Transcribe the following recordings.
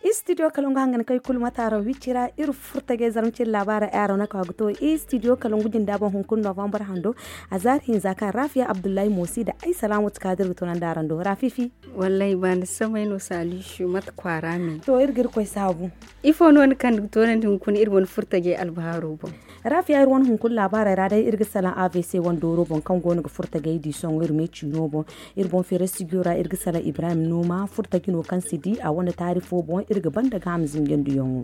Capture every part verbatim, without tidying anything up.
Istidiyo kalangu hangan kay kulu mataaro wicci ra iri furtajey zarma cine laabaara ay araŋ no ka ga to. Istidiyo kalangu jinda boŋ hunkuna novambar hando, a zaari hinza kaŋ rafiya abdullahi moosi da ay salaamatu kaadir ga tunandi araŋ do rafifi. Wallaahi baani samay no saalisu mate kwaara me. To iri ga iri koy saabu. Ifo no ni kande ga toonandi hunkuna iri wane furtajey albahaaro boŋ? Rafiya iri wane hunkuna laabaarey ra day iri ga salaŋ avc wane dooro boŋ kaŋ go no ga furtajey di sohõ iri me ciino boŋ. Iri boŋ feeray sigiyo ra iri ga salaŋ ibrahim nooma furtaji no kaŋ si di a wane taari fo boŋ iri ga banda ga a ma zinjandiyaŋo.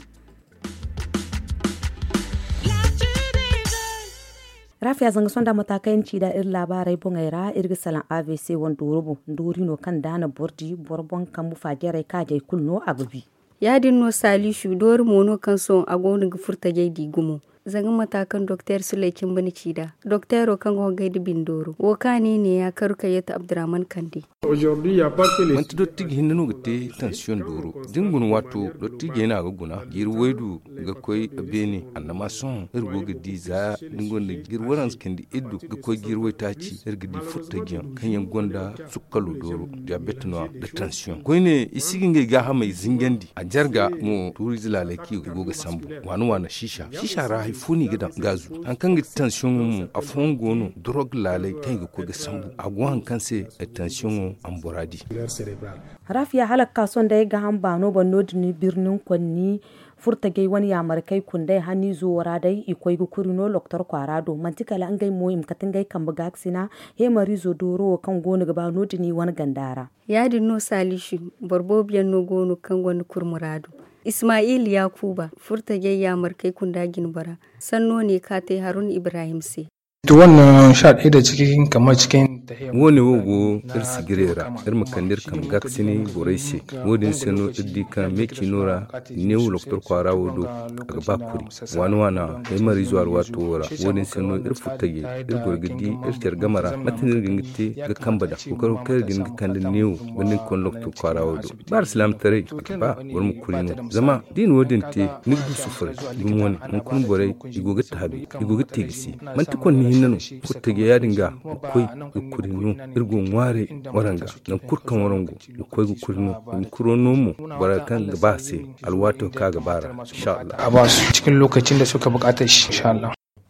Rafiya zanga sonda mata kaŋ yaŋ ci da iri laabaarey boŋey ra iri ga salaŋ avc wane dooro boŋ doori no kaŋ da a na boro di boro boŋ kambu faajarey kaajey kulu no a ga bi. Ya-din no saalisu doori mo no kaŋ sohõ a go no ga furtajey di gumo. Zanga mata kaŋ dokteer suley cimba ni ci nd'a dokteero kaŋ go ga goy nda bindooro wo kaŋ a ne neeya karu kayyatu abdurrahman kande. Manti dottiji hinne no ga te tansiyoŋ dooro da ni guna waato dottijey no a ga guna jiiri waydu ga koy beene annama sohõ iri go ga di za da ni gonda jiiri waranza cindi iddu ga koy jiiri waytaaci iri ga di furtajiyaŋ kaŋ yaŋ gonda sukkalo dooro diyabet no- ya nda tansiyoŋ koyne i si ga ngey gaahamey zinjandi a jarga mo tuuriize laaley kaŋ i go ga sambu waana waana siisa siisa ra hari fo no i ga daŋ gaazu hari kaŋ ga ti tansiyoŋo mo afooyaŋ go no dorog laaley kaŋ i ga koy ga sambu a go hari kaŋ se tansiyoŋo a ma bora di. Rafiya hala ga ka sohõ day gaham baano boŋ no- din birnin konni furtajey wane yaamarkey kundey haniizo wo ra day i koy ga kuri no loktor kwaara do manti kala ngey mo i ma kate ngey kambe gaakasina heemariizo dooro wo kaŋ go no ga ba no- din i wane ganda ra. Ya-din no saalisu boro boobo yaŋ no go no kaŋ gonda kuri muraadu. Ismail yaakuuba furtajey yaamarkey kunda jinbora sanno ne kaŋ a te harun ibrahim se. Wo- ne wo go iri sijirey ra iri ma kande iri kambe gaakasinay borey se. Wo- din se no iri di kaŋ meeciino ra neewo loktor kwaara wo do a ga ba kuri waana waana heemariizo alwaato wo ra. Wo- din se no iri furtajey iri goro ga di iri care game ra mate no iri ga hin ga te ga kambe nd'a kookaro kaŋ iri ga hin ga kande neewo banda ni konda loktor kwaara wo do ba alsilaamataray a ga ba boro ma kuri no zama da i na wo- din te ni ga du sufuray. Dumi wane hunkuna borey i go ga taabi i go ga te ga se manti konni hinne no furtajey ya- din ga ga koy ga kuri no iri go ŋwaaray waranga nangu kulu kaŋ waraŋ go ga koy ga kuri no i ma kuro no mo bora kaŋ ga ba a se alwaato kaŋ a ga ba ra. Insha allah.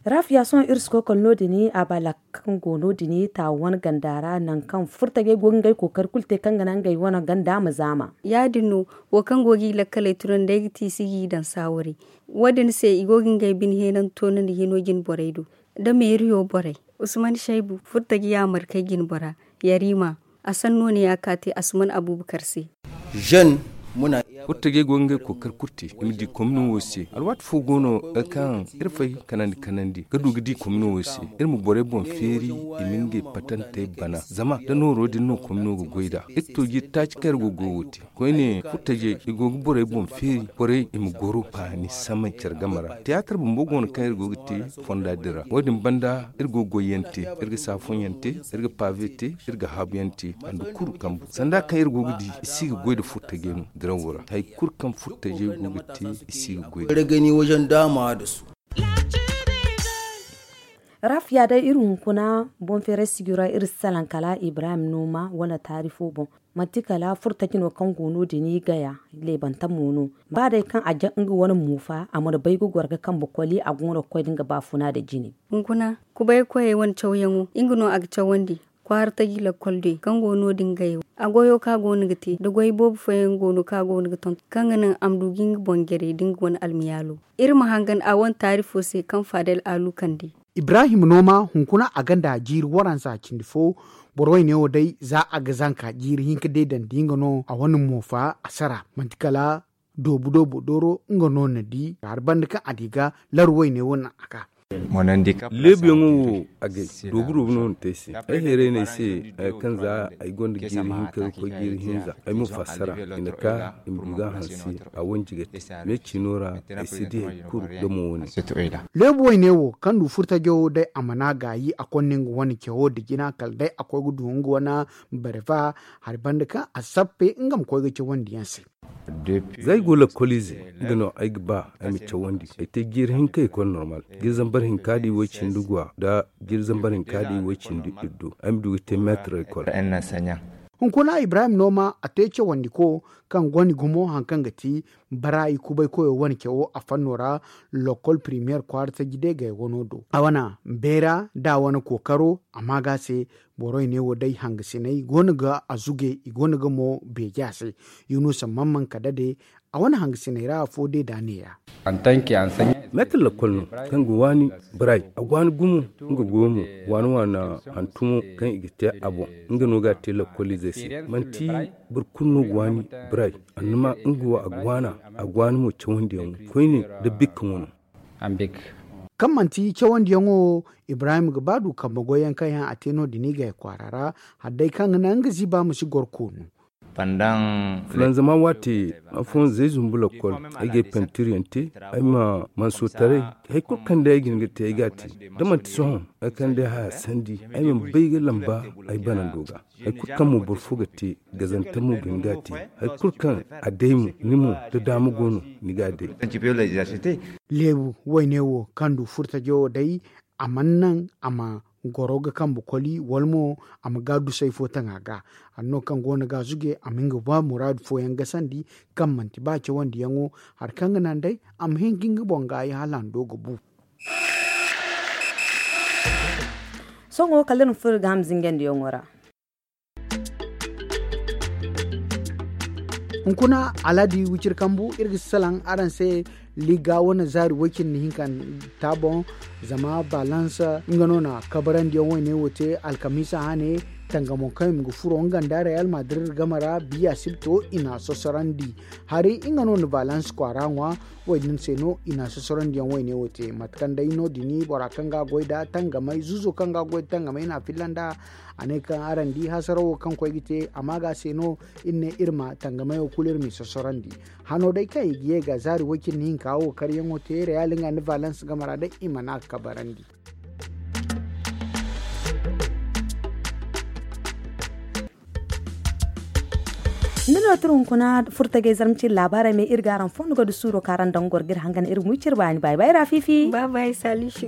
Rafiya sohõ iri si koy kala no- din a balak kaŋ go no- din taawa wane ganda ra nangu kaŋ furtajey go ga ngey kookari kulu te kaŋ ga naŋ ngey wane ganda ma zaama. Ya- din no wo kaŋ go ga i lakkaley tunandi ay ga ti i si ga i daŋ saawaray. Wo- din se i go ga ngey bine heenanto no nda hino jinborey do nda meeriyo borey. Usman shaybu furtaji yaamarkey jinbora yarima a sanno ne ya ka te asuman abuubakar se. Furtajey go ga ngey kookari kulu te i ma di komino wo se alwaati fo go no kaŋ iri fay kanandi kanandi ga du ga di komino wo se iri ma borey boŋ feeri i ma ngey patantey bana zama da nooro din no komino ga goy nd'a iri to jiiri taaci kaŋ iri go ga goy wo te. Koyne furtajey i go ga borey boŋ feeri borey i ma goro baani samay care game ra tiyaatar bumbo go no kaŋ iri go ga te fonda din ra wo- din banda iri go ga goyyaŋ te iri ga saafoŋyaŋ te iri ga paave te iri ga haabuyaŋ te handu kulu kambu sanda kaŋ iri go ga di i si ga goy nda furtajey no dirawo ra hari kulu kaŋ furtajey go ga te i si ga goy nda. Rafiya day iri hunkuna boŋ feeray sijiro ra iri si salaŋ kala ibrahim nooma wala taari fo boŋ. Manti kala furtaji no kaŋ go no- din i gaya leebantamo no ba day kaŋ a jaŋ nga wane moofa a mana bay ga goro ga kambe koli a go no ga koy da nga baafuna nda jine. Hunkuna kubay koyey wane cawyaŋo nga no a ga cawandi kwaara taji lakkol day kaŋ go no- din gaya wo a goyo kaŋ a go no ga te da goy boobo fooyaŋ go no kaŋ a go no ga tonton kaŋ ga naŋ a ma du ga nga boŋ jaray da nga wane almiyaalo. Iri ma hangan a wane taari fo se kaŋ faadel aalu kande. Ibrahim nooma hunkuna a gonda jiiri waransa cindi fo. Boro wayne wo day za a ga zanka jiiri hinka day daŋ da nga no a wane moofa a sara manti kala doobu doobu dooro nga no na di hari banda kaŋ a di ga laru wayne wo naŋ a ga. Leebuyaŋo wo agay doobu doobu no na te ay se ay heeray no ay se kaŋ za ay gonda jiiri hinka ga koy jiiri hinza ay mo fassara i na ka i ma du ga a hanse. A wanji ga te me ciino ra ay si di hari kulu damo wane. Leebu wayne wo kaŋ du furtajo day a mana gaayi a konda nga wane cawo da jina kala day a koy ga du nga wane barfa hari banda kaŋ a sappe nga ma koy ga cawandi yaŋ se. Za ay go lakkoliize, nga no ay ga ba ay ma cawandi. Ay te jiiri hinka ekol normal, jiiri zambar hinka da iway cindi gwa nda jiiri zambar hinka da iway cindi iddu, ay ma du ga te meetar ekol. Hunkuna ibrahim nooma a te cawandiko kaŋ gonda gumo hari kaŋ ga ti bara i kubay koyo wane cawo a fanno ra. Lokol primiyeer kwaara taji day gay wano do a wane beera da a wane kookaro a ma ga a se. Borey ne wo day hangasiney go no ga a zuge i go no ga mo beeji a se. Yunusa mamman ka dade a wane hangasiney ra afo day da a neeya. Meetar lakkol no kaŋ ga waani biray a ga waani gumo. Nga go mo waani waani hantumo kaŋ i ga te a boŋ. Nga no ga a te lakkoliizey se manti boro kulu no ga waani biray. Annama nga wo a ga waana a ga waani mo cawandiyaŋo koyne nda bikka wano. Kaŋ manti cawandiyaŋo wo ibrahim ga ba du kambe goyyaŋ kaŋ yaŋ a te no- din i gay kwaara ra hala day kaŋ ga naŋ nga ziiba ma si goro koonu. Fulanzama waate afooyaŋ zay zumbu lakkol ay ga ay pantiryaŋ te. Ay ma mansotaray hari kulu kaŋ day ay ga hin ga te ay ga a te da manti sohõ ay kaŋ day haya sandi ay mana bay ga lamba ay banando ga. Hari kulu kaŋ mo boro fo ga te gazanta mo ga hin ga a te. Hari kulu kaŋ a day mo ni mo da daama go no ni ga a day. Leebu wayne wo kaŋ du furtajo wo day a mana naŋ a ma goro ga kambe koli wala mo a ma ga dusay fo taŋ a ga. Hari no kaŋ go no ga a zuge a ma nga ba muraadu fooyaŋ gasandi kaŋ manti ba cawandiyaŋo hari kaŋ ga naŋ day a ma hin ga nga boŋ gaayi hala a ma do ga bu. Sohõ kala da ni furo ga ham zingandiyaŋo ra. Hunkuna aladi wiciri kambu iri ga si salaŋ araŋ se. Liga wane zaari way-cindi hinka ta boŋ zama balans nga no na kabarandiyaŋ wayne wo te alkamiisa hane. Tangamo kaŋ i ma ga furo nga nda real madrid game ra biya sibto i na a sosorandi. Hari nga no na balans kwaara ŋwa. Wo- din se no i na a sosorandiyaŋ wayne wo te mate kaŋ day no- din bora kaŋ ga a goy nda tangamay zuzo kaŋ ga a goy nda tangamay i na a filla nd'a. A ne kaŋ araŋ di hasarawo kaŋ koy ga te a ma ga se no. Iri ne iri ma tangamayo kulu iri m'i sosorandi. Hano day kaŋ i ga ye ga zaari way-cindi hinka wo karyaŋo te real nga nda valence game ra day i mana a kabarandi. Nda no tira hunkuna furtagay zarma ciri laabaarey me iri ga araŋ fondo ga du suuro kaŋ araŋ daŋ goro ga iri hangan iri ga wi ciri baani baay baay ra fiifi. Baay baay salisu.